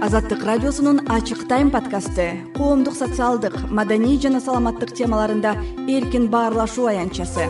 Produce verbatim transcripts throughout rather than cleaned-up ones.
Азаттык радиосунун ачык тайм подкасты коомдук, социалдык, маданий жана саламаттык темаларында эркин баарлашуу аянтчасы.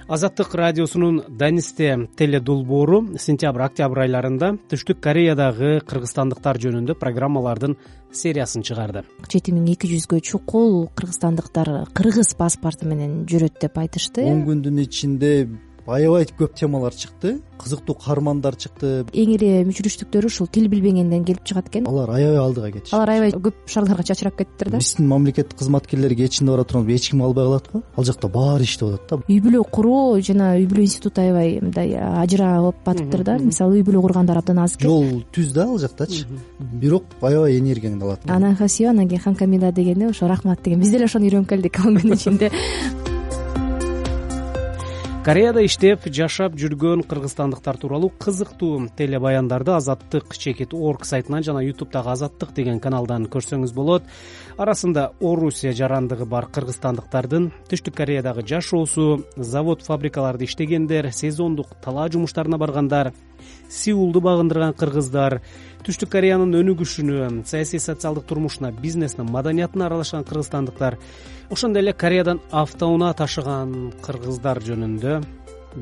Азаттык радиосунун Данисте теледолбоору сентябрь-октябрь айларында Түштүк Кореядагы кыргызстандыктар жөнүндө программалардын сериясын чыгарды. жети миң эки жүзгө чукул кыргызстандыктар кыргыз паспорту менен жүрөт деп айтышты. он күндүн ичинде аябай көп темалар чыкты, кызыктуу каармандар чыкты. Эң эле мүчүрүштүктөрү ушул тил билбегенден келип чыгат экен. Алар аябай алдыга кетишти. Алар аябай көп шаарларга чачырап кеттиптир да. Биздин мамлекеттик кызматкерлер кечинде бара турганда эч ким албай калат го. Ал жакта баары иштеп атат да. Үй бүлө куруу жана үй бүлө институту аябай мындай ажырап батыптыр да. Мисалы үй бүлө кургандар абдан аз экен. Жол түз да ал жактачы. Бирок аябай энергияңды алат. Анахасио, анан кийин хамкамида дегени ошо рахмат деген. Биз деле ошону үйрөнүп келдик он күн ичинде. Кореяда иштеп жашап жүргөн кыргызстандыктар тууралуу кызыктуу телебаяндарды Азаттык чекит точка орг сайтынан жана ютубтагы Азаттык деген каналдан көрсөңүз болот. Арасында Орусия жарандыгы бар кыргызстандыктардын Түштүк Кореядагы жашоосу, завод фабрикаларда иштегендер, сезондук талаа жумуштарына баргандар, Сеулду багындырган кыргыздар, Түштүк Кореянын өнүгүшүнө, саясий социалдык турмушуна, бизнесине, маданиятына аралашкан кыргызстандыктар, ошондой эле Кореядан автоунаа ташыган кыргыздар жөнүндө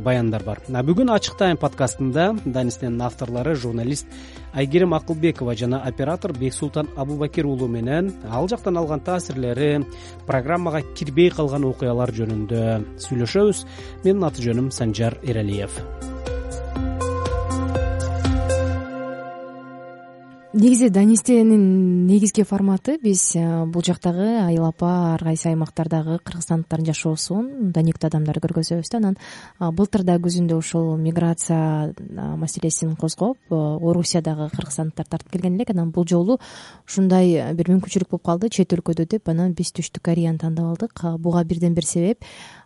баяндар бар. Бүгүн Ачык тайм подкастында Данистенин авторлору журналист Айгерим Акылбекова жана оператор Бексултан Абубакир уулу менен ал жактан алган таасирлери, программага кирбей калган окуялар жөнүндө сүйлөшөбүз. Менин аты жөнүм Санжар Эралиев. Негизи Данистенин негизги форматы биз бул жактагы айыл апа ар кайсы аймактардагы кыргызстандыктардын жашоосун даниктүү адамдарды көргөзөбүз да. Анан былтыр да күзүндө ушул миграция маселесин козгоп Орусиядагы кыргызстандыктар тартып келген элек. Анан бул жолу ушундай бир мүмкүнчүлүк болуп калды чет өлкөдө деп, анан биз Түштүк Кореяны тандап алдык. Буга бирден бир себеп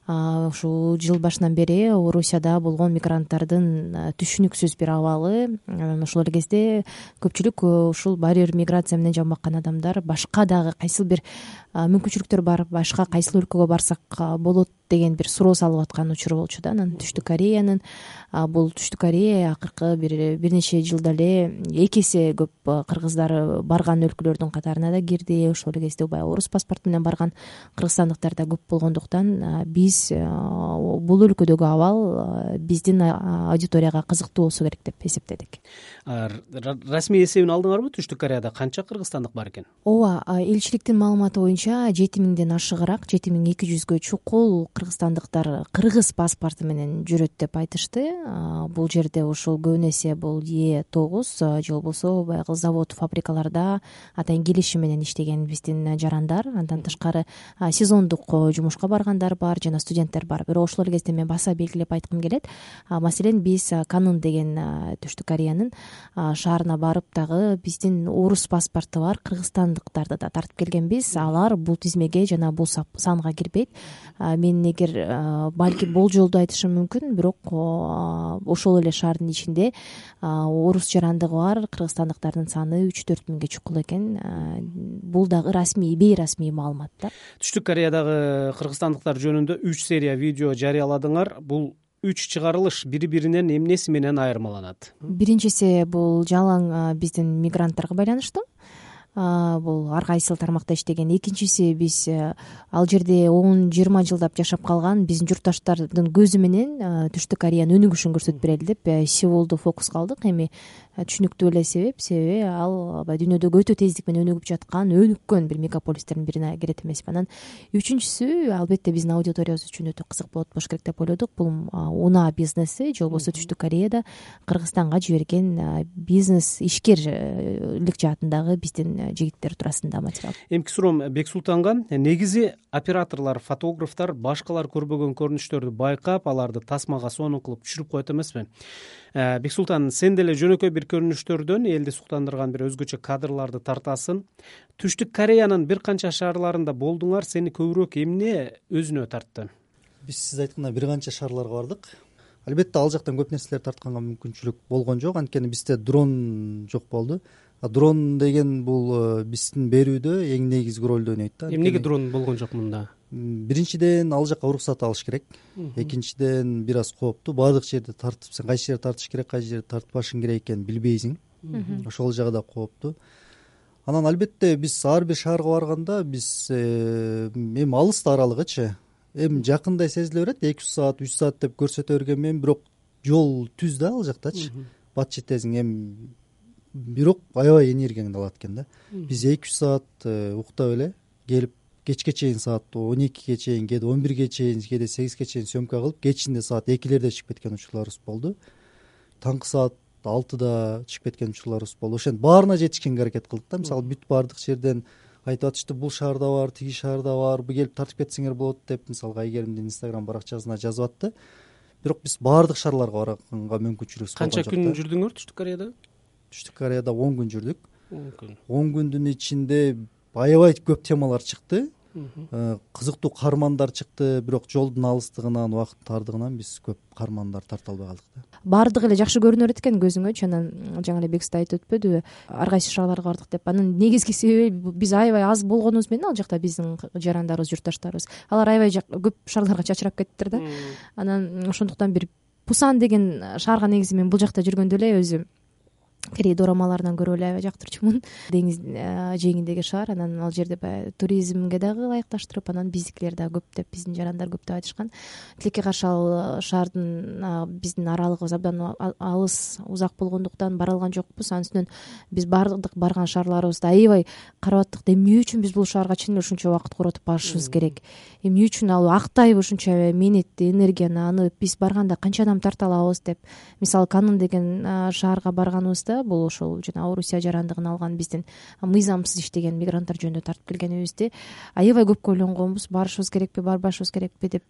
ушул жыл башынан бери Орусияда болгон мигранттардын түшүнүксүз бир абалы. Ошол эле кезде көпчүлүк ушул баары бир миграция менен жамбаккан адамдар башка дагы кайсыл бир мүмкүнчүлүктөр бар, башка кайсыл өлкөгө барсак болот деген бир суроо салып аткан учур болчу да. Анан Түштүк Кореянын бул Түштүк Корея акыркы бир бир нече жылда эле эки эсе көп кыргыздар барган өлкөлөрдүн катарына да кирди. Ошол эле кезде баягы орус паспорту менен барган кыргызстандыктар да көп болгондуктан биз бул өлкөдөгү абал биздин аудиторияга кызыктуу болсо керек деп эсептедик. Расмий эсебин алдыңарбы? Түштүк Кореяда канча кыргызстандык бар экен? Ооба, элчиликтин маалыматы боюнча жети миңден ашыгыраак, жети миң эки жүзгө чукул кыргызстандыктар кыргыз паспорту менен жүрөт деп айтышты. Бул жерде ушул көбүн эсе бул Е тогуз же болбосо баягы завод фабрикаларда атайын келишим менен иштеген биздин жарандар. Андан тышкары сезондук жумушка баргандар бар жана студенттер бар. Бирок ошол эле кезде мен баса белгилеп айткым келет. Маселен, биз Канун деген Түштүк Кореянын шаарына барып дагы биздин орус паспорту бар кыргызстандыктарды да тартып келгенбиз. Алар бул тизмеге жана бул санга кирбейт. Мен эгер балки болжолду айтышым мүмкүн, бирок ошол эле шаардын ичинде орус жарандыгы бар кыргызстандыктардын саны үч төрт миңге чукул экен. Бул дагы расмий, бейрасмий маалымат да. Түштүк Кореядагы кыргызстандыктар жөнүндө үч серия видео жарыяладыңар. Бул үч чыгарылыш бири-биринен эмнеси менен айырмаланат? Биринчиси бул жалаң биздин мигранттарга байланыштуу. Бул ар кайсыл тармакта иштеген. Экинчиси биз ал жерде он жыйырма жылдап жашап калган биздин журтташтардын көзү менен Түштүк Кореянын өнүгүшүн көрсөтүп берели деп Сеулду фокуска алдык. Эми түшүнүктүү эле себеп, себеби ал дүйнөдөгү өтө тездик менен өнүгүп жаткан, өнүккөн бир мегаполистердин бирине кирет эмеспи. Анан үчүнчүсү албетте биздин аудиториябыз үчүн өтө кызык болот болуш керек деп ойлодук. Бул унаа бизнеси же болбосо Түштүк Кореяда Кыргызстанга жиберген бизнес ишкерлик жаатындагы биздин жигиттер туурасында материал. Эмки суроом Бексултанга. Негизи операторлор, фотографтар башкалар көрбөгөн көрүнүштөрдү байкап, аларды тасмага сонун кылып түшүрүп коет эмеспи? Бексултан, сен деле жөнөкөй бир көрүнүштөрдөн элди суктандырган бир өзгөчө кадрларды тартасың. Түштүк Кореянын бир канча шаарларында болдуңар, сени көбүрөөк эмне өзүнө тартты? Биз сиз айткандай бир канча шаарларга бардык. Албетте ал жактан көп нерселер тартканга мүмкүнчүлүк болгон жок, анткени бизде дрон жок болду. Дрон деген бул биздин берүүдө эң негизги ролду ойнойт да. Эмнеге дрон болгон жок мында? биринчиден ал жака уруксат алыш керек, экинчиден бир аз кооптуу, баардык жерде тартып сен кайсы жерде тартыш керек, кайсы жерде тартпашың керек экенин билбейсиң, ошол жагы да кооптуу. Анан албетте биз ар бир шаарга барганда биз эми алыс да аралыгычы эми жакындай сезиле берет, эки жүз саат үч саат деп көрсөтө берген менен, бирок жол түз да ал жактачы, бат жетесиң, эми бирок аябай энергияңды алат экен да. Биз эки жүз саат уктап эле келип кечке чейин саат он экиге чейин, кээде он бирге чейин, кээде сегизге чейин съемка кылып, кечинде саат экилерде чыгып кеткен учурларыбыз болду. Таңкы саат алтыда чыгып кеткен учурларыбыз болду. Ошентип баарына жетишкенге аракет кылдык да. Мисалы бүт баардык жерден айтып атышты, бул шаарда бар, тиги шаарда бар, бу келип тартып кетсеңер болот деп, мисалы Айгеримдин инстаграм баракчасына жазып атты. Бирок биз баардык шаарларга барганга мүмкүнчүлүгүбүз болгон жок. Канча күн жүрдүңөр Түштүк Кореяда? Түштүк Кореяда он күн жүрдүк. он күн. он күндүн ичинде аябай көп темалар чыкты. Кызыктуу каармандар чыкты, бирок жолдун алыстыгынан, убакыттын тардыгынан биз көп каармандар тарта албай калдык да. Баардыгы эле жакшы көрүнө берет экен көзүңөчү. Анан жаңы эле Бексиз айтып өтпөдүбү, ар кайсы шаарларга бардык деп. Анын негизги себеби биз аябай аз болгонубуз менен ал жакта биздин жарандарыбыз, журтташтарыбыз. Алар аябай көп шаарларга чачырап кеттиптир да. Анан ошондуктан бир Пусан деген шаарга негизи мен бул жакта жүргөндө эле өзү Корей дорамаларынан көрүп эле аябай жактырчумун. Деңиз жээгиндеги шаар, анан ал жерде баягы туризмге дагы ылайыкташтырып, анан биздикилер дагы көп деп, биздин жарандар көп деп айтышкан. Тилекке каршы ал шаардын биздин аралыгыбыз абдан алыс, узак болгондуктан бара алган жокпуз. Анын үстүнөн биз баардык барган шаарларыбызды аябай карап аттык. Эмне үчүн биз бул шаарга чын эле ушунча убакыт коротуп барышыбыз керек? Эмне үчүн ал актайбы ушунча мээнетти, энергияны, аны биз барганда канча адам тарта алабыз деп. Мисалы Канн деген шаарга барганыбызда, бул ошол жана Орусия жарандыгын алган биздин мыйзамсыз иштеген мигранттар жөнүндө тартып келгенибизди аябай көп ойлонгонбуз. Барышыбыз керекпи, барбашыбыз керекпи деп.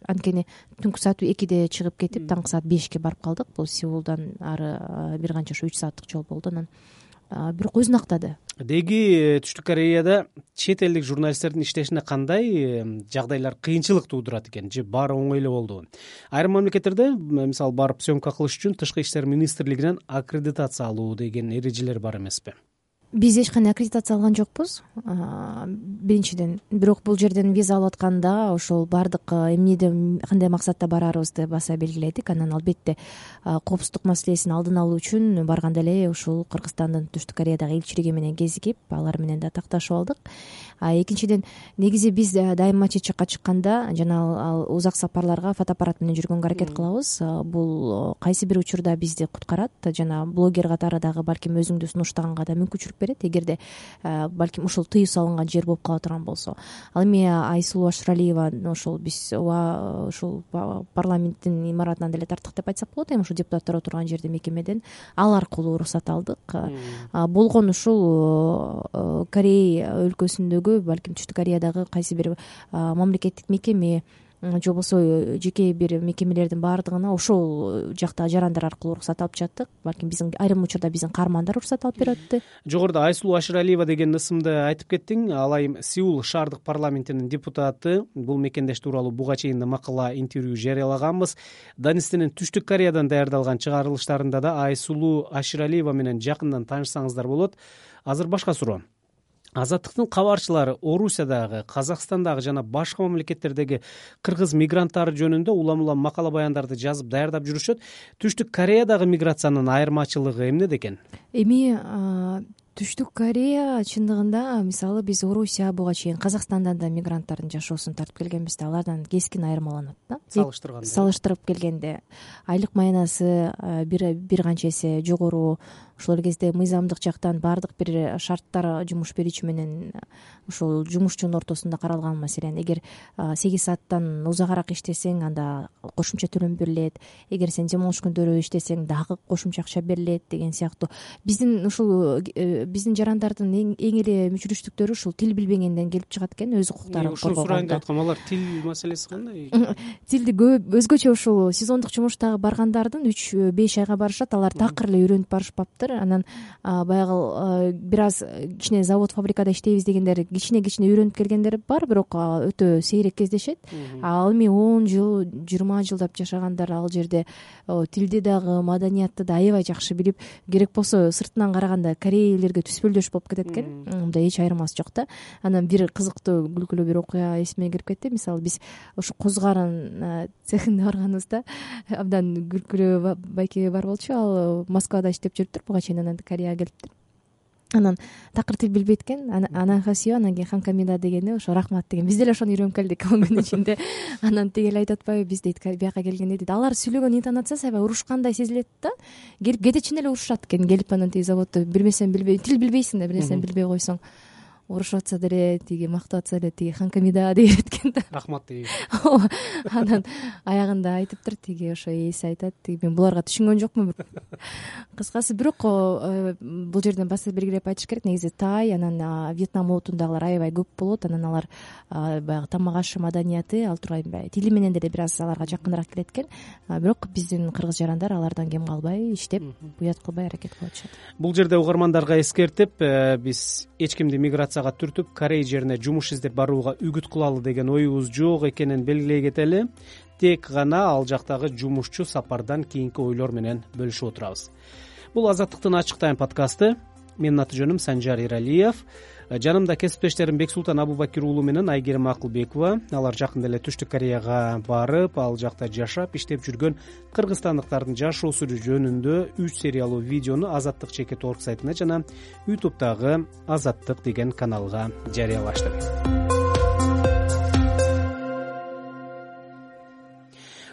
Анткени түнкү саат экиде чыгып кетип, таңкы саат бешке барып калдык. Бул Сеулдан ары бир канча уч сааттык жол болду. Анан бирок өзүн актады. Деги Түштүк Кореяда чет элдик журналисттердин иштешине кандай жагдайлар кыйынчылык туудурат экен, же баары оңой эле болдубу? Айрым мамлекеттерде, мисалы, барып съемка кылыш үчүн Тышкы иштер министрлигинен аккредитация алуу деген эрежелер бар эмеспи? Биз эч кандай аккредитация алган жокпуз, биринчиден. Бирок бул жерден виза алып атканда ошол баардык эмнеде, кандай максатта барарыбызды баса белгиледик. Анан албетте коопсуздук маселесин алдын алуу үчүн барганда эле ушул Кыргызстандын Түштүк Кореядагы элчилиги менен кезигип, алар менен да такташып алдык. Экинчиден, негизи биз дайыма чет жакка чыкканда жана узак сапарларга фотоаппарат менен жүргөнгө аракет кылабыз. Бул кайсы бир учурда бизди куткарат, жана блогер катары дагы балким өзүңдү сунуштаганга да мүмкүнчүлүк берет, эгерде балким ушул тыюу салынган жер болуп кала турган болсо. Ал эми Айсулуу Ашыралиева ошол биз ушул парламенттин имаратынан деле тарттык деп айтсак болот. Эми ушул депутаттар отурган жерде мекемеден ал аркылуу уруксат алдык. Болгон ушул Корей өлкөсүндөгү, балким Түштүк Кореядагы кайсы бир мамлекеттик мекеме же болбосо жеке бир мекемелердин баардыгына ошол жакта жарандар аркылуу уруксат алып жаттык. Балким биздин айрым учурда биздин каармандар уруксат алып берип атты. Жогоруда Айсулуу Ашыралиева деген ысымды айтып кеттиң. Ал айым Сеул шаардык парламентинин депутаты. Бул мекендеш тууралуу буга чейин да макала, интервью жарыялаганбыз. Данистинин Түштүк Кореядан даярдалган чыгарылыштарында да Айсулуу Ашыралиева менен жакындан таанышсаңыздар болот. Азыр башка суроо. Азаттыктын кабарчылары Орусиядагы, Казакстандагы жана башка мамлекеттердеги кыргыз мигранттары жөнүндө улам-улам макала баяндарды жазып даярдап жүрүшөт. Түштүк Кореядагы миграциянын айырмачылыгы эмнеде экен? Эми Түштүк Корея чындыгында, мисалы, биз Орусия буга чейин Казакстандан да мигранттардын жашоосун тартып келгенбиз да, алардан кескин айырмаланат да. Салыштырганда. Салыштырып келгенде айлык маянасы бир бир канча эсе жогору. Ошол кезде мыйзамдык жактан баардык бир шарттар жумуш берүүчү менен ошол жумушчунун ортосунда каралган. Маселен, эгер сегиз сааттан узагыраак иштесең, анда кошумча төлөм берилет. Эгер сен демалыш күндөрү иштесең, дагы кошумча акча берилет деген сыяктуу. Биздин ушул биздин жарандардын эң эле мүчүрүштүктөрү ушул тил билбегенден келип чыгат экен, өз укуктарын коргогонда. Ушул сурайын деп аткам, алар тил маселеси кандай? Тилди көп өзгөчө ушул сезондук жумуштагы баргандардын үч беш айга барышат, алар такыр эле үйрөнүп барышпапты. жатыр. Анан баягы бир аз кичине завод фабрикада иштейбиз дегендер кичине кичине үйрөнүп келгендер бар, бирок өтө сейрек кездешет. Ал эми он жыл жыйырма жылдап жашагандар ал жерде тилди дагы маданиятты да аябай жакшы билип, керек болсо сыртынан караганда корейлерге түспөлдөш болуп кетет экен. Мындай эч айырмасы жок да. Анан бир кызыктуу күлкүлүү бир окуя эсиме кирип кетти. Мисалы биз ушу козгарын цехинде барганыбызда абдан күлкүлүү байке бар болчу. Ал Москвада иштеп жүрүптүр буга чейин, анан Кореяга келиптир. Анан такыр тил билбейт экен. Анан хасио, анан кийин ханкамида дегени ошо рахмат деген. Биз деле ошону үйрөнүп келдик он күнүн ичинде. Анан тиги эле айтып атпайбы, биз дейт бияка келгенде дейт алар сүйлөгөн интонациясы аябай урушкандай сезилет да. Келип кедечин эле урушат экен. Келип анан тиги заводдо бир нерсени билбей, тил билбейсиң да, бир нерсени билбей койсоң урушуп атса деле, тиги мактап атса деле тиги ханкамида деген экен да. Рахмат дейт. Анан аягында айтыптыр тиги ошо ээси айтат, тиги мен буларга түшүнгөн жокмун. Кыскасы бирок бул жерден басып белгилеп айтыш керек. Негизи Тай, анан Вьетнам улутундагылар аябай көп болот. Анан алар баягы тамак ашы маданияты ал тургай тили менен деле бир аз аларга жакыныраак келет экен. Бирок биздин кыргыз жарандар алардан кем калбай иштеп, уят кылбай аракет кылып атышат. Бул жерде угармандарга эскертип, биз эч кимди миграцияга түртүп Корея жерине жумуш издеп барууга үгүт кылалы деген оюбуз жок экенин белгилей кетели. Тек гана ал жактагы жумушчу сапардан кийинки ойлор менен бөлүшүп отурабыз. Бул Азаттыктын ачык тайм подкасты. Менин аты жөнүм Санжар Иралиев. Жанымда кесиптештерим Бексултан Абубакир уулу менен Айгерим Акылбекова. Алар жакында эле Түштүк Кореяга барып, ал жакта жашап, иштеп жүргөн кыргызстандыктардын жашоосу жөнүндө үч сериялуу видеону Азаттык чекит точка орг сайтына жана ютубтагы Азаттык деген каналга жарыялашты.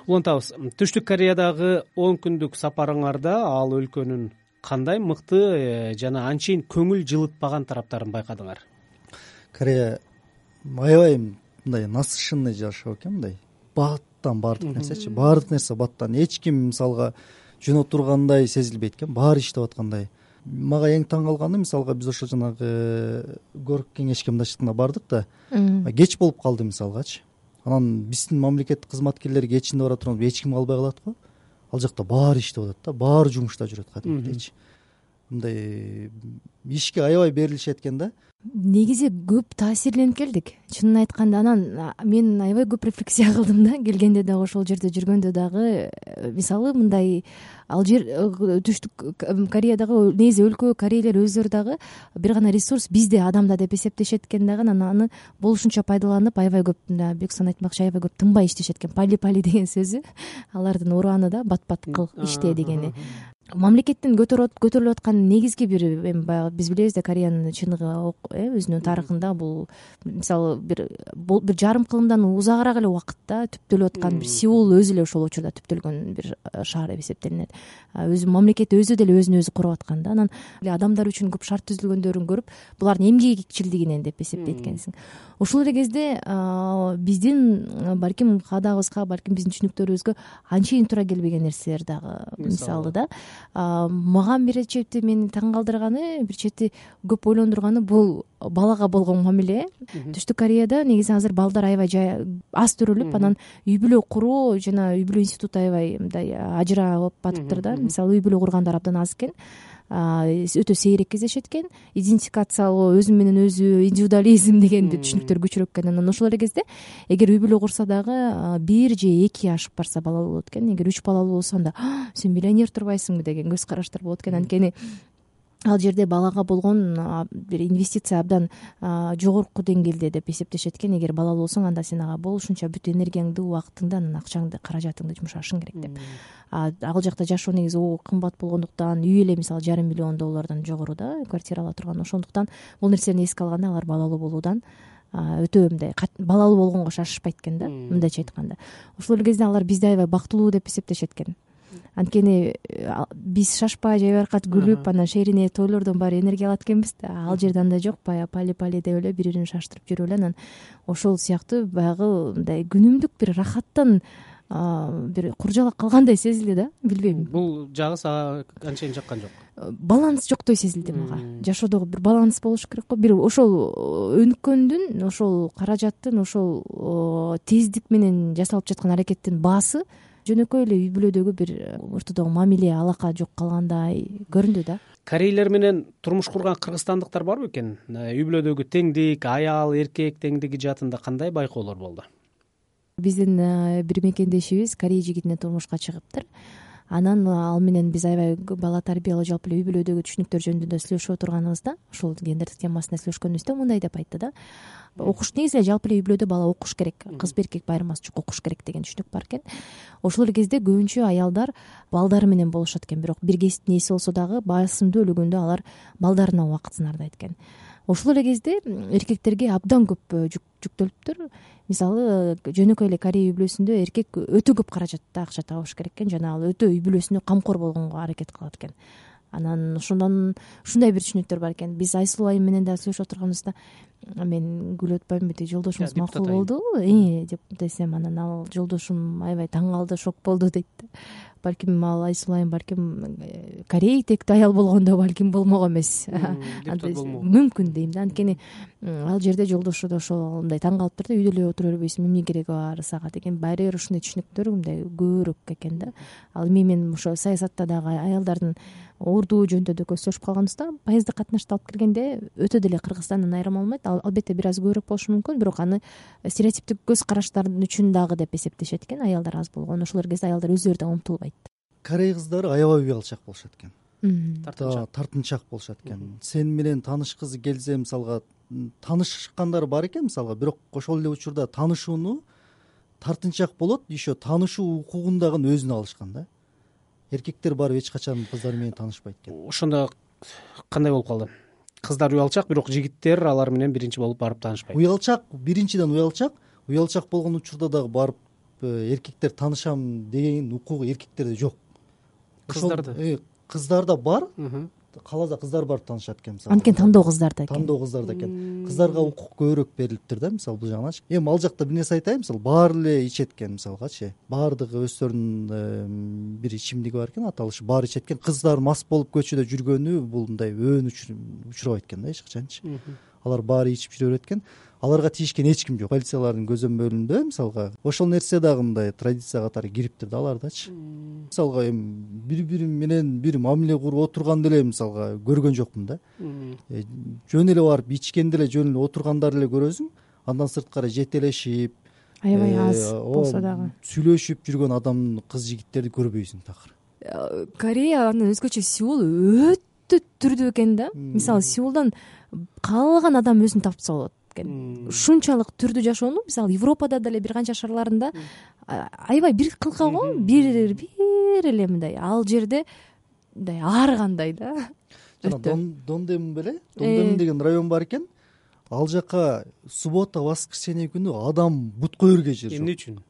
Улантабыз. Түштүк Кореядагы он күндүк сапарыңарда ал өлкөнүн кандай мыкты жана анчейин көңүл жылытпаган тараптарын байкадыңар? Корея аябай мындай насыщенный жашоо экен, мындай баттан баардык нерсечи, баардык нерсе баттан. Эч ким мисалга жөнөп тургандай сезилбейт экен, баары иштеп аткандай. Мага эң таң калганы, мисалга биз ошо жанагы горк кеңешке мындайчылыгына бардык да, кеч болуп калды мисалгачы. Анан биздин мамлекеттик кызматкерлер кечинде бара турганда эч ким калбай калат го. Ал жакта баары иштеп атат да, баары жумушта жүрөт кадимгидейчи. Мындай ишке аябай берилишет экен да. Негизи көп таасирленип келдик. Чынын айтканда, анан мен аябай көп рефлексия кылдым да, келгенде дагы ошол жерде жүргөндө дагы. Мисалы мындай ал жер Түштүк Кореядагы негизи өлкө корейлер өздөрү дагы бир гана ресурс бизде адамда деп эсептешет экен дагы, анан аны болушунча пайдаланып аябай көп, Бексан айтмакчы, аябай көп тынбай иштешет экен. Пали пали деген сөзү алардын ураны да, бат бат кыл иште дегени. Мамлекеттин көтөрүлүп аткан негизги бир эми баягы биз билебиз да, Кореянын чыныгы өзүнүн тарыхында бул мисалы бир бир жарым кылымдан узагыраак эле убакытта түптөлүп аткан бир Сеул өзү эле ошол учурда түптөлгөн бир шаар деп эсептелинет. Өзү мамлекет өзү деле өзүн өзү куруп аткан да. Анан адамдар үчүн көп шарт түзүлгөндөрүн көрүп, булардын эмгекчилдигинен деп эсептейт экенсиң. Ошол эле кезде биздин балким каадагыбызга, балким биздин түшүнүктөрүбүзгө анчейин туура келбеген нерселер дагы, мисалы да. Мага бир чети мени таң калтырганы, бир чети көп ойлондурганы бул балага болгон мамиле. Түштүк Кореяда негизи азыр балдар аябай аз төрөлүп, анан үй бүлө куруу жана үй бүлө институту аябай мындай ажырап батыптыр да. Мисалы үй бүлө кургандар абдан аз экен, өтө сейрек кездешет экен. Идентификациялоо, өзү менен өзү, индивидуализм деген түшүнүктөр күчүрөөк экен. Анан ошол эле кезде эгер үй бүлө курса дагы бир же эки ашып барса балалуу болот экен. Эгер үч балалуу болсо анда сен миллионер турбайсыңбы деген көз караштар болот экен. Анткени ал жерде балага болгон бир инвестиция абдан жогорку деңгээлде деп эсептешет экен. Эгер балалуу болсоң, анда сен ага болушунча бүт энергияңды, убактыңды, анан акчаңды, каражатыңды жумшашың керек деп. Ал жакта жашоо негизи кымбат болгондуктан, үй эле мисалы жарым миллион доллардан жогору да квартира ала турган. Ошондуктан бул нерсени эске алганда алар балалуу болуудан өтө мындай балалуу болгонго шашышпайт экен да, мындайча айтканда. Ошол эле кезде алар бизди аябай бактылуу деп эсептешет экен. Анткени биз шашпай жайбаркат күлүп, анан шерине тойлордон баары энергия алат экенбиз да. Ал жерде андай жок, баягы пали пали деп эле бири бирин шаштырып жүрүп эле, анан ошол сыяктуу баягы мындай күнүмдүк бир рахаттан бир куржалак калгандай сезилди да, билбейм. Бул жагы сага анчейин жаккан жок. Баланс жоктой сезилди мага. Жашоодо бир баланс болуш керек го. Бир ошол өнүккөндүн, ошол каражаттын, ошол тездик менен жасалып жаткан аракеттин баасы жөнөкөй эле үй бүлөдөгү бир ортодогу мамиле, алака жок калгандай көрүндү да. корейлер менен турмуш курган кыргызстандыктар барбы экен? Үй бүлөдөгү теңдик, аял эркек теңдиги жаатында кандай байкоолор болду? Биздин бир мекендешибиз корей жигитине турмушка чыгыптыр. Анан ал менен биз аябай бала тарбиялоо, жалпы эле үй бүлөдөгү түшүнүктөр жөнүндө слушап отурганыбызда ушул гендердик темасында сүйлөшкөнүбүздө мындай деп айтты да: окуш негизи эле жалпы эле үй бүлөдө бала окуш керек, кыз эркек байырмасы жок, окуш керек деген түшүнүк бар экен. Ошол эле кезде көбүнчө аялдар балдары менен болушат экен, бирок бир кесиптин ээси болсо дагы басымдуу өлүгүндө алар балдарына убакытын ардайт экен. Ошол эле кезде эркектерге абдан көп жүктөлүптүр. Мисалы жөнөкөй эле корей үй бүлөсүндө эркек өтө көп каражатта акча табыш керек экен, жана ал өтө үй бүлөсүнө камкор болгонго аракет кылат экен. Анан ошондон ушундай бир түшүнүктөр бар экен. Биз Айсулуу айым менен да сүйлөшүп отурганыбызда мен күлүп атпаймынбы, тиги жолдошубуз макул болдубу деп десем, анан ал жолдошум аябай таң калды, шок болду дейт. Балким ал Айсулуу айым балким корей тектүү аял болгондо балким болмок эмес, мүмкүн дейм да. Анткени ал жерде жолдошу да ошол мындай таң калыптыр да, үйдө эле отура бербейсиң, эмне кереги бар сага деген баары бир ушундай түшүнүктөр мындай көбүрөөк экен да. Ал эми мен ошо саясатта дагы аялдардын ордуу жөнүндө да көздөшүп калганыбызда, поезддик катнашты алып келгенде өтө деле Кыргызстандан айырма болмойт. Албетте бир аз көбүрөөк болушу мүмкүн, бирок аны стереотиптик көз караштардын үчүн дагы деп эсептешет экен, аялдар аз болгон. Ошол кезде аялдар өздөрү да умтулбайт. Корей кыздары аябай уялчак болушат экен, тартынчак тартынчак болушат экен. Сен менен таанышкысы келсе, мисалга таанышкандар бар экен мисалга, бирок ошол эле учурда таанышууну тартынчак болот, еще таанышуу укугун дагы өзүнө алышкан да. Эркектер барып эч качан кыздар менен таанышпайт экен. Ошондо кандай болуп калды? Кыздар уялчак, бирок жигиттер алар менен биринчи болуп барып таанышпайт. Уялчак, биринчиден уялчак, уялчак болгон учурда дагы барып эркектер таанышам деген укугу эркектерде жок. Кыздарды кыздарда бар, кааласа кыздар барып таанышат экен мисалы. Анткени тандоо кыздарда экен. Тандоо кыздарда экен. Кыздарга укук көбүрөөк берилиптир да, мисалы бул жагынан. Эми ал жакта бир нерсе айтайын, мисалы баары эле ичет экен мисалгачы. Баардыгы өздөрүнүн бир ичимдиги бар экен, аталышы баары ичет экен. Кыздар мас болуп көчөдө жүргөнү бул мындай өөн учурабайт экен да эч качанчы. Алар баары ичип жүрө берет экен. Аларга тийишкен эч ким жок. Полициялардын көзөмөлүндө мисалга ошол нерсе дагы мындай традиция катары кириптир да алардачы. Мисалга эми бири-бири менен бир мамиле куруп отурганды эле мисалга көргөн жокмун да. Жөн эле барып ичкенде эле жөн эле отургандар эле көрөсүң. Андан сырткары жетелешип, аябай аз болсо дагы сүйлөшүп жүргөн адам, кыз жигиттерди көрбөйсүң такыр. Корея андан өзгөчө Сеул өтө түрдүү экен да. Мисалы Сеулдан каалаган адам өзүн тапса болот. Ушунчалык түрдүү жашоону мисалы Европада деле бир канча шаарларында аябай бир кылка го, бир бир эле мындай. Ал жерде мындай ар кандай да. Жана Дондем беле, Дондем деген район бар экен. Ал жака суббота, воскресенье күнү адам бут койерге жер жок. Эмне үчүн?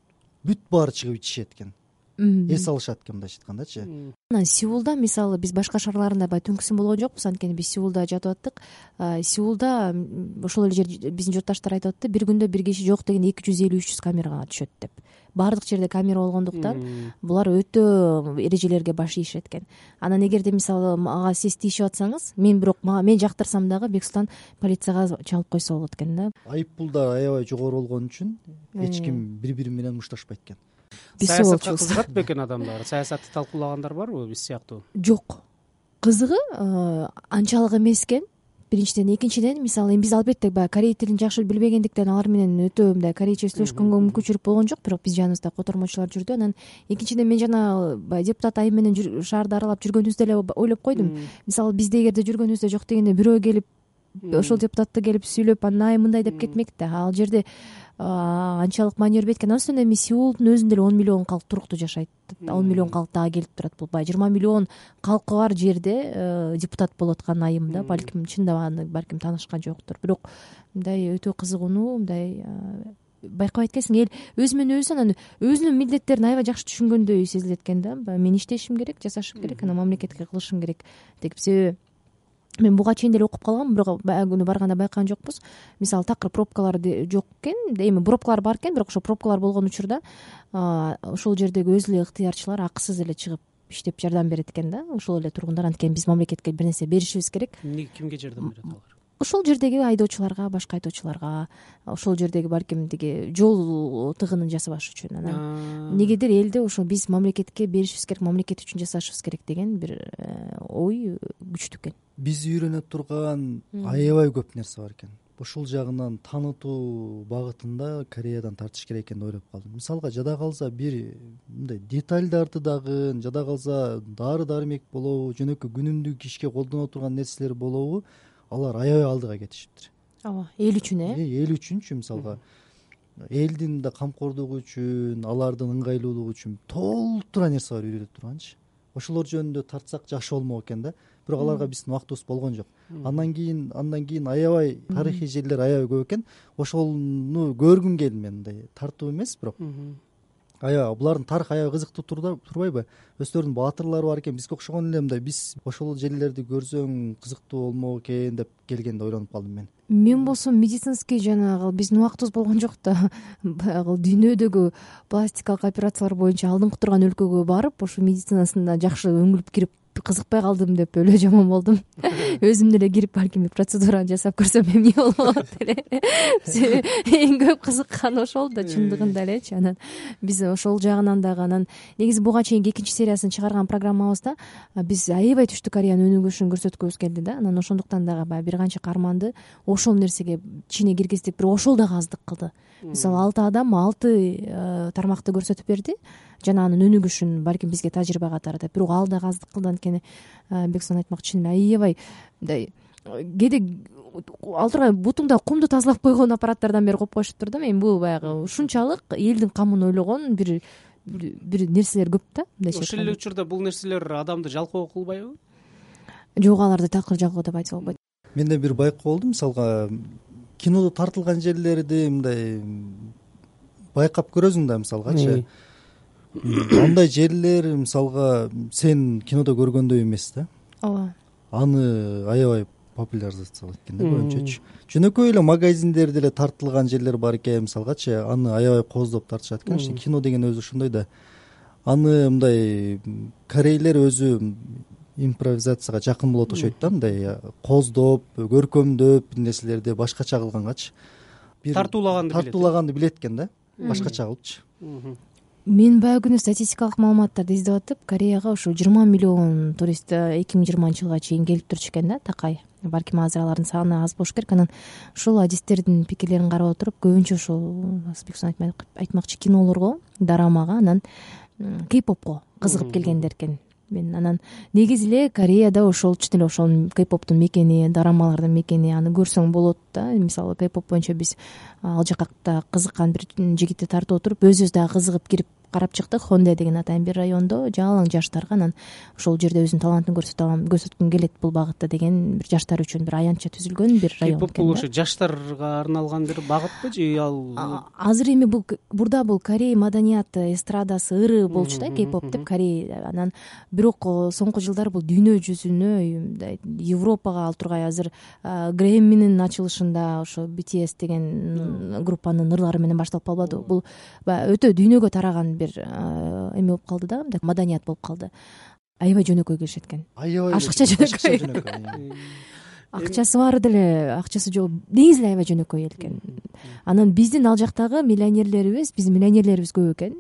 Бүт баары чыгып ичишет экен. Эс алышат экен мындайча айткандачы. Анан Сеулда мисалы биз башка шаарларында баягы түнкүсүн болгон жокпуз, анткени биз Сеулда жатып аттык. Сеулда ошол эле жер биздин журтташтар айтып атты, бир күндө бир киши жок деген эки жүз элүү үч жүз камерага түшөт деп. Баардык жерде камера болгондуктан булар өтө эрежелерге баш ийишет экен. Анан эгерде мисалы ага сиз тийишип атсаңыз, мен бирок мен жактырсам дагы Бексултан полицияга чалып койсо болот экен да. Айыппулдар аябай жогору болгон үчүн эч ким бири-бири менен мушташпайт экен. Саясатка кызыгат бекен адамдар? Саясатты талкуулагандар барбы биз сыяктуу? Жок. Кызыгы анчалык эмес экен. Биринчиден, экинчиден мисалы биз албетте баягы корей тилин жакшы билбегендиктен алар менен өтө мындай корейче сүйлөшкөнгө мүмкүнчүлүк болгон жок, бирок биз жаныбызда котормочулар жүрдү. Анан экинчиден мен жана баягы депутат айым менен шаарды аралап жүргөнүбүздө эле ойлоп койдум. Мисалы бизде эгерде жүргөнүбүздө жок дегенде бирөө келип ошол депутатты келип сүйлөп анан ай мындай деп кетмек да. Ал жерде анчалык маани бербейт экен. Андан соң эми Сеулдун өзүндө эле он миллион калк туруктуу жашайт. он миллион калк дагы келип турат. Бул баягы жыйырма миллион калкы бар жерде депутат болуп аткан айым да. Балким чындап аны балким таанышкан жоктур. Бирок мындай өтө кызыгууну, мындай байкабайт экенсиң. Эл өзү менен өзү анан өзүнүн милдеттерин аябай жакшы түшүнгөндөй сезилет экен да. Мен иштешим керек, жасашым керек, анан мамлекетке кылышым керек деп. Себеби мен буга чейин деле окуп калгам, бирок баягы күнү барганда байкаган жокпуз. Мисалы такыр пробкалар жок экен, эми пробкалар бар экен, бирок ошо пробкалар болгон учурда ошол жердеги өз эле ыктыярчылар акысыз эле чыгып иштеп жардам берет экен да. Ошол эле тургундар, анткени биз мамлекетке бир нерсе беришибиз керек. Эмне, кимге жардам берет алар? ошол жердеги айдоочуларга, башка айдоочуларга, ошол жердеги балким тиги жол тыгынын жасабаш үчүн анан негедир элде ошо биз мамлекетке беришибиз керек, мамлекет үчүн жасашыбыз керек деген бир ой күчтүү экен. Бизди үйрөнө турган аябай көп нерсе бар экен. Ушул жагынан таанытуу багытында Кореядан тартыш керек экен деп ойлоп калдым. Мисалга жада калса бир мындай детальдарды дагы, жада калса дары дармек болобу, жөнөкөй күнүмдүк ишке колдоно турган нерселер болобу, алар аябай алдыга кетишиптир. Ооба, эл үчүн э? Эл үчүнчү мисалга элдин да камкордугу үчүн, алардын ыңгайлуулугу үчүн толтура нерсе бар үйрөтө турганчы. Ошолор жөнүндө тартсак жакшы болмок экен да. Бирок аларга биздин убактыбыз болгон жок. Андан кийин андан кийин аябай тарыхый жерлер аябай көп экен. Ошону көргүм келди мен, мындай тартуу эмес, бирок аябай булардын тарыхы аябай кызыктуу турбайбы? Өздөрүнүн баатырлары бар экен, бизге окшогон эле мындай биз ошол жерлерди көрсөң кызыктуу болмок экен деп келгенде ойлонуп калдым мен. Мен болсо медицинский жанагы биздин убактыбыз болгон жок да. Баягы дүйнөдөгү пластикалык операциялар боюнча алдыңкы турган өлкөгө барып, ошо медицинасында жакшы өңүлүп кирип кызыкпай калдым деп өлө жаман болдум. Өзүм деле кирип балким процедураны жасап көрсөм эмне болот эле. Эң көп кызыккан ошол да чындыгында элечи. Анан биз ошол жагынан дагы анан негизи буга чейинки экинчи сериясын чыгарган программабызда биз аябай Түштүк Кореянын өнүгүшүн көрсөткүбүз келди да. Анан ошондуктан дагы баягы бир канча каарманды ошол нерсеге ичине киргиздик, бирок ошол дагы аздык кылды. Мисалы алты адам алты тармакты көрсөтүп берди. Жана анын өнүгүшүн балким бизге тажрыйба катары деп, бирок ал дагы аздык кылды. Анткени Бексон айтмакчы, аябай мындай кээде ал тургай бутуңда кумду тазалап койгон аппараттардан бери коюп коюшуптур да. Мен бул баягы ушунчалык элдин камын ойлогон бир бир нерселер көп да. Ошол эле учурда бул нерселер адамды жалкоо кылбайбы? Жок, аларды такыр жалкоо деп айтса болбойт. Менде бир байкоо болду. Мисалга кинодо тартылган жерлерди мындай байкап көрөсүң да, мисалгачы. Андай жерлер мисалга сен кинодо көргөндөй эмес да. Ооба. Аны аябай популяризациялайт экен да көбүнчөчү. Жөнөкөй эле магазиндерде эле тартылган жерлер бар экен, мисалгачы, аны аябай кооздоп тартышат экен. Кино деген өзү ошондой да. Аны мындай корейлер өзү импровизацияга жакын болот окшойт да, мындай кооздоп, көркөмдөп нерселерди башкача кылгангачы. Тартуулаганды билет. Тартуулаганды билет экен да, башкача кылыпчы. Мен баягы күнү статистикалык маалыматтарды издеп атып, Кореяга ушу жыйырма миллион турист эки миң жыйырманчы жылга чейин келип турчу экен да, такай. Балким азыр алардын саны аз болуш керек. Анан ушул адистердин пикирлерин карап отуруп, көбүнчө ушул Бексон айтмакчы кинолорго, дорамага, анан кей-попко кызыгып келгендер экен. Мен анан негизи эле Кореяда ошол чын эле ошол кей-поптун мекени, дорамалардын мекени, аны көрсөң болот да. Мисалы кей-поп боюнча биз ал жакта кызыккан бир жигитти тартып отуруп, өзүбүз дагы кызыгып кирип карап чыктык. Хонде деген атайын бир райондо жалаң жаштарга, анан ошол жерде өзүнүн талантын көрсөтө алам, көрсөткүм келет бул багытта деген бир жаштар үчүн бир аянтча түзүлгөн бир район экен. Кей-поп бул ошо жаштарга арналган бир багытпы же ал азыр эми бул бурда бул Корей маданияты, эстрадасы, ыры болчу да, кей-поп деп Корей. Анан бирок соңку жылдары бул дүйнө жүзүнө, мындай Европага ал тургай азыр Грэмминин ачылышында ошо би ти эс деген группанын ырлары менен башталып калбадыбы? Бул өтө дүйнөгө тараган бир эме болуп калды да, мындай маданият болуп калды. Аябай жөнөкөй келишет экен. Аябай ашыкча жөнөкөй. Акчасы бар деле, акчасы жок. Негизи аябай жөнөкөй эл экен. Анан биздин ал жактагы миллионерлерибиз, биздин миллионерлерибиз көп экен.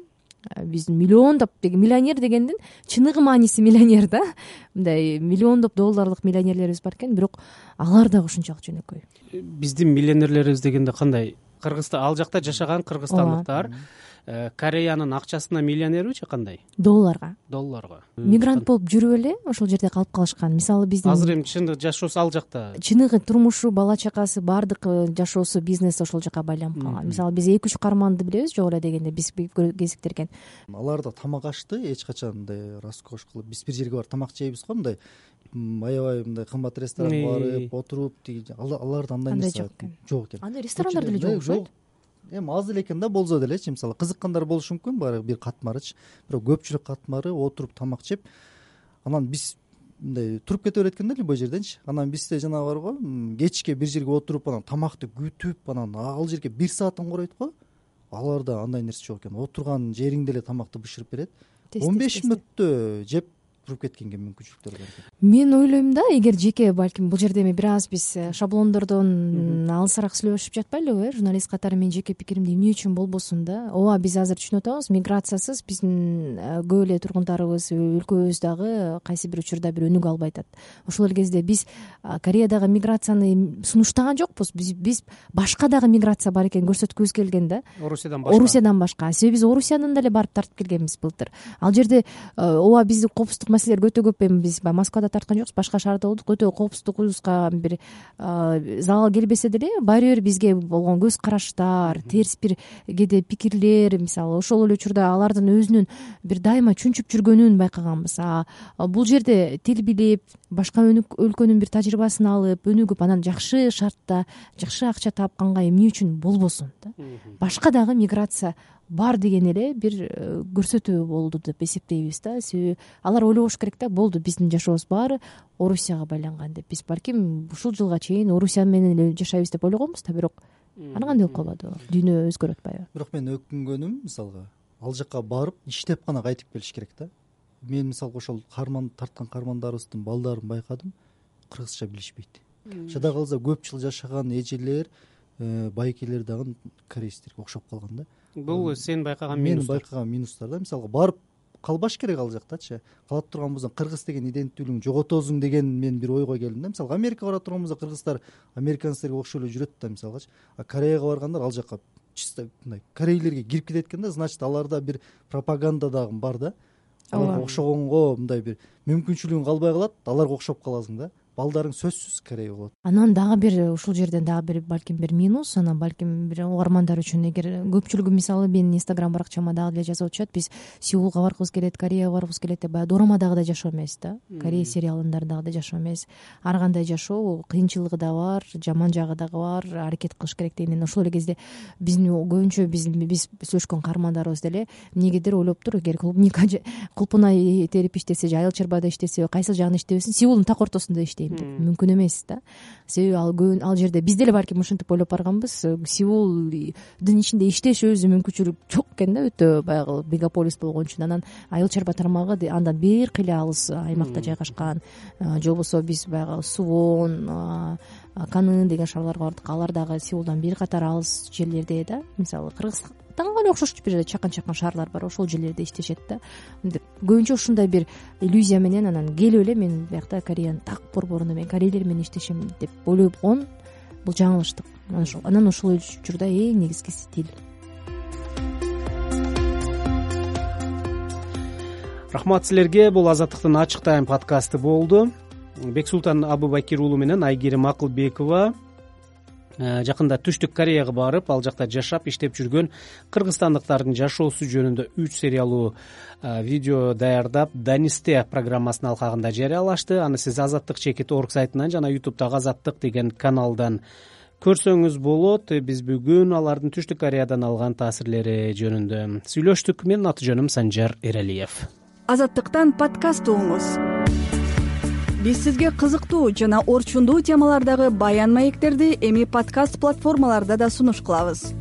Биздин миллиондоп деген миллионер дегендин чыныгы мааниси миллионер да. Мындай миллиондоп долларлык миллионерлерибиз бар экен, бирок алар дагы ушунчалык жөнөкөй. Биздин миллионерлерибиз дегенде кандай? Кыргызстан, ал жакта жашаган кыргызстандыктар Кореянын акчасына миллионерби же кандай? Долларга. Долларга. Мигрант болуп жүрүп эле ошол жерде калып калышкан. Мисалы биздин азыр эми чындык жашоосу ал жакта. Чыныгы турмушу, бала чакасы, бардык жашоосу, бизнеси ошол жака байланып калган. Мисалы биз эки үч каарманды билебиз, жок эле дегенде биз кезиктирген. Аларда тамак ашты эч качан мындай роскош кылып, биз бир жерге барып тамак жейбиз го, мындай аябай мындай кымбат ресторанга барып отуруп, аларда андай нерсе жок экен. Андай ресторандар деле жок окшойт. Эми аз эле экен да, болсо делечи, мисалы кызыккандар болушу мүмкүн, баары бир катмарычы, бирок көпчүлүк катмары отуруп тамак жеп, анан биз мындай туруп кете берет экен да любой жерденчи. Анан бизде жана барго кечке бир жерге отуруп, анан тамакты күтүп, анан ал жерге бир саатын коройт го. Аларда андай нерсе жок экен. Отурган жериңде эле тамакты бышырып берет. он беш мүнөттө жеп туруп кеткенге мүмкүнчүлүктөр бар экен. Мен ойлойм да, эгер жеке балким бул жерде эми бир аз биз шаблондордон алысыраак сүйлөшүп жатпайлыбы, э журналист катары менин жеке пикиримди эмне үчүн болбосун да. Ооба, биз азыр түшүнүп атабыз, миграциясыз биздин көп эле тургундарыбыз, өлкөбүз дагы кайсы бир учурда бир өнүгө албай атат. Ошол эле кезде биз Кореядагы миграцияны сунуштаган жокпуз. Биз биз башка дагы миграция бар экенин көрсөткүбүз келген да. Орусиядан башка. Орусиядан башка. Себеби биз Орусиянын деле барып тартып келгенбиз былтыр. Ал жерде ооба биздин коопсуздук маселелер өтө көп. Эми биз баягы Москвада тарткан жокпуз, башка шаарда болдук. Өтө коопсуздугубузга бир залал келбесе деле, баары бир бизге болгон көз караштар, терс бир кээде пикирлер, мисалы ошол эле учурда алардын өзүнүн бир дайыма чүнчүп жүргөнүн байкаганбыз. А бул жерде тил билип, башка өлкөнүн бир тажрыйбасын алып, өнүгүп, анан жакшы шартта, жакшы акча тапканга эмне үчүн болбосун да. Башка дагы миграция бар деген эле бир көрсөтүү болду деп эсептейбиз да. Себеби алар ойлобош керек да, болду, биздин жашообуз баары Орусияга байланган деп. Биз балким ушул жылга чейин Орусия менен эле жашайбыз деп ойлогонбуз да, бирок ана кандай болуп калбады, дүйнө өзгөрүп атпайбы? Бирок мен өкүнгөнүм, мисалга ал жака барып иштеп гана кайтып келиш керек да. Мен мисалга ошол карман тарткан кармандарыбыздын балдарын байкадым, кыргызча билишпейт. Жада калса көп жыл жашаган эжелер, байкелер дагы кореецтерге окшоп калган да. Бул сен байкаган минус. Мен байкаган минустар да. Мисалга барып калбаш керек ал жактачы. Калат турганбыздан кыргыз деген иденттүүлүгүн жоготосуң деген мен бир ойго келдим да. Мисалга Америкага бара турганбызда кыргыздар американецтерге окшой эле жүрөт да, мисалгачы. А Кореяга баргандар ал жака чисто мындай корейлерге кирип кетет экен да, значит аларда бир пропаганда дагы бар да. Аларга окшогонго мындай бир мүмкүнчүлүгүң калбай калат, аларга окшоп каласың да. Балдарың сөзсүз корей болот. Анан дагы бир ушул жерден дагы бир балким бир минус, анан балким бир угармандар үчүн, эгер көпчүлүгү мисалы менин Инстаграм баракчама дагы деле жазып атышат, биз Сеулга баргыбыз келет, Кореяга баргыбыз келет деп, баягы дорамадагыдай жашоо эмес да. Корея сериалындардагы жашоо эмес. Ар кандай жашоо кыйынчылыгы да бар, жаман жагы дагы бар, аракет кылыш керек дегенден. Ошол эле кезде биздин көбүнчө биз биз сүйлөшкөн каармандарыбыз деле эмнегедир ойлоптур, эгер клубника кулпуна терип иштесе же айыл чарбада иштесе, кайсыл жагын иштебесин, Сеулдун так ортосунда иштейм деп. Мүмкүн эмес да. Себеби ал көбүн ал жерде биз деле балким ушинтип ойлоп барганбыз. Сеулдун ичинде иштеш өзү мүмкүнчүлүк жок экен да, өтө баягы мегаполис болгон үчүн. Анан айыл чарба тармагы андан бир кыйла алыс аймакта жайгашкан. Же болбосо биз баягы Сувон, Канын деген шаарларга бардык. Алар дагы Сеулдан бир катар алыс жерлерде да. Мисалы Кыргызстанга эле окшош бир чакан-чакан шаарлар бар, ошол жерлерде иштешет да. Көбүнчө ушундай бир иллюзия менен анан келип эле мен биякта Кореянын так борборуна мен корейлер менен иштешем деп ойлогон, бул жаңылыштык. Анан ошол учурда эң негизгиси тил. Рахмат силерге. Бул Азаттыктын ачык тайм подкасты болду. Бексултан Абубакир уулу менен Айгерим Акылбекова жакында Түштүк Кореяга барып, ал жакта жашап, иштеп жүргөн кыргызстандыктардын жашоосу жөнүндө үч сериялуу видео даярдап, Данисте программасынын алкагында жарыялашты. Аны сиз азаттык чекит точка орг сайтынан жана ютубтагы Азаттык деген каналдан көрсөңүз болот. Биз бүгүн алардын Түштүк Кореядан алган таасирлери жөнүндө сүйлөштүк. Менин аты жөнүм Санжар Эралиев. Азаттыктан подкаст угуңуз. Биз сизге кызыктуу жана орчундуу темалардагы баян маектерди эми подкаст платформаларда да сунуш кылабыз.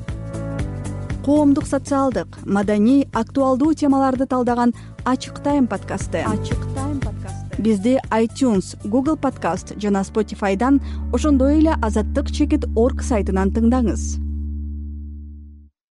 Коомдук, социалдык, маданий, актуалдуу темаларды талдаган Ачык тайм подкасты. Ачык тайм подкасты. Бизди iTunes, Google Podcast жана Spotify'дан, ошондой эле азаттык чекит точка орг сайтынан тыңдаңыз.